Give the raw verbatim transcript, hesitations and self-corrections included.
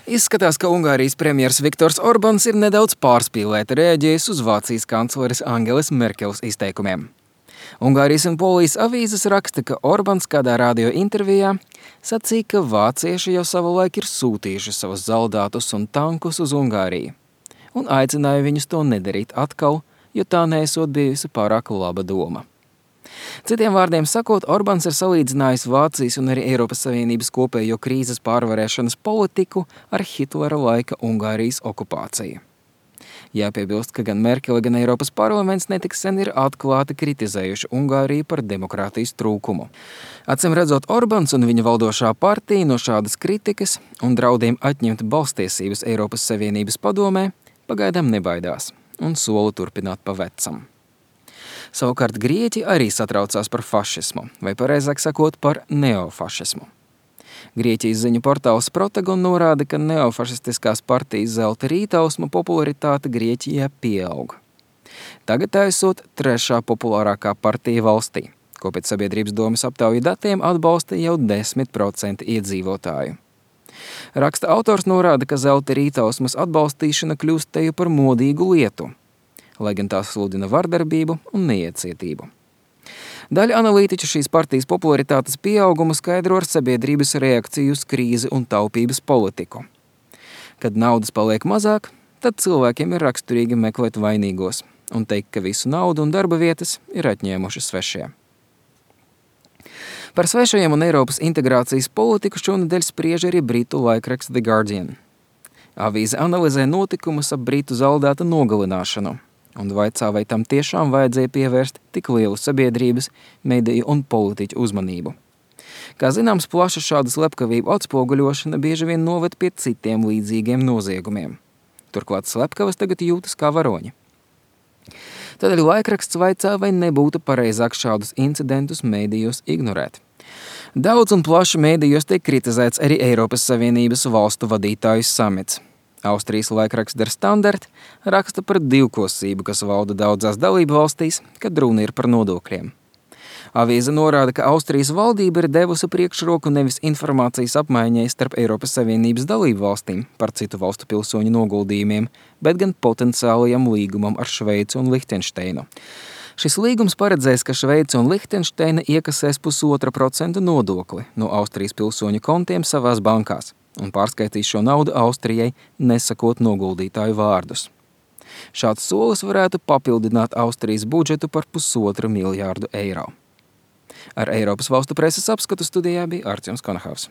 Izskatās, ka Ungārijas premjers Viktors Orbāns ir nedaudz pārspīlēti reaģējis uz Vācijas kancleres Angeles Merkeles izteikumiem. Ungārijas un Polijas avīzes raksta, ka Orbāns kādā radio intervijā sacīja, ka vācieši jau savulaik ir sūtījuši savus zaldātus un tankus uz Ungāriju, un aicināja viņus to nedarīt atkal, jo tā neesot bijusi pārāk laba doma. Citiem vārdiem sakot, Orbāns ir salīdzinājis Vācijas un arī Eiropas Savienības kopējo krīzes pārvarēšanas politiku ar Hitlera laika Ungārijas okupāciju. Jāpiebilst, ka gan Merkele, gan Eiropas parlaments netik sen ir atklāti kritizējuši Ungāriju par demokrātijas trūkumu. Acīm redzot, Orbāns un viņa valdošā partija no šādas kritikas un draudiem atņemt balstiesības Eiropas Savienības padomē pagaidām nebaidās un sola turpināt pa vecam. Savukārt Grieķi arī satraucās par fašismu, vai pareizāk sakot par neofašismu. Grieķijas ziņu portāls Protagon norāda, ka neofašistiskās partijas zelta rītausma popularitāte Grieķijā pieaug. Tagad tā esot trešā populārākā partija valstī, ko pēc sabiedrības domas aptauju datiem atbalsta jau desmit procenti iedzīvotāju. Raksta autors norāda, ka zelta rītausmas atbalstīšana kļūst teju par modīgu lietu, lai gan tās sludina vardarbību un neiecietību. Daļa analītiķu šīs partijas popularitātes pieaugumu skaidro ar sabiedrības reakciju uz krīzi un taupības politiku. Kad naudas paliek mazāk, tad cilvēkiem ir raksturīgi meklēt vainīgos un teikt, ka visu naudu un darba vietas ir atņēmuši svešie. Par svešajiem un Eiropas integrācijas politiku šonedēļ spriež arī britu laikraksts The Guardian. Avīze analizē notikumus ap britu zaldāta nogalināšanu un vaicā, vai tam tiešām vajadzēja pievērst tik lielu sabiedrības, mediju un politiķu uzmanību. Kā zināms, plaša šādu slepkavību atspoguļošana bieži vien noved pie citiem līdzīgiem noziegumiem. Turklāt slepkavas tagad jūtas kā varoņi. Tādēļ laikraksts vaicā, vai nebūtu pareizāk šādus incidentus medijos ignorēt. Daudz un plaši medijos tiek kritizēts arī Eiropas Savienības valstu vadītāju samits. Austrijas laikraksts Der Standard raksta par divkosību, kas valda daudzās dalību valstīs, kad runa ir par nodokļiem. Avīze norāda, ka Austrijas valdība ir devusi priekšroku nevis informācijas apmaiņai starp Eiropas Savienības dalību valstīm par citu valstu pilsoņu noguldījumiem, bet gan potenciālajam līgumam ar Šveici un Lihtenšteinu. Šis līgums paredzēs, ka Šveice un Lihtenšteina iekasēs pusotra procenta nodokli no Austrijas pilsoņu kontiem savās bankās un pārskaitīs šo naudu Austrijai, nesakot noguldītāju vārdus. Šāds solis varētu papildināt Austrijas budžetu par pusotru miljārdu eiro. Ar Eiropas valstu preses apskatu studijā bija Artjoms Konahaus.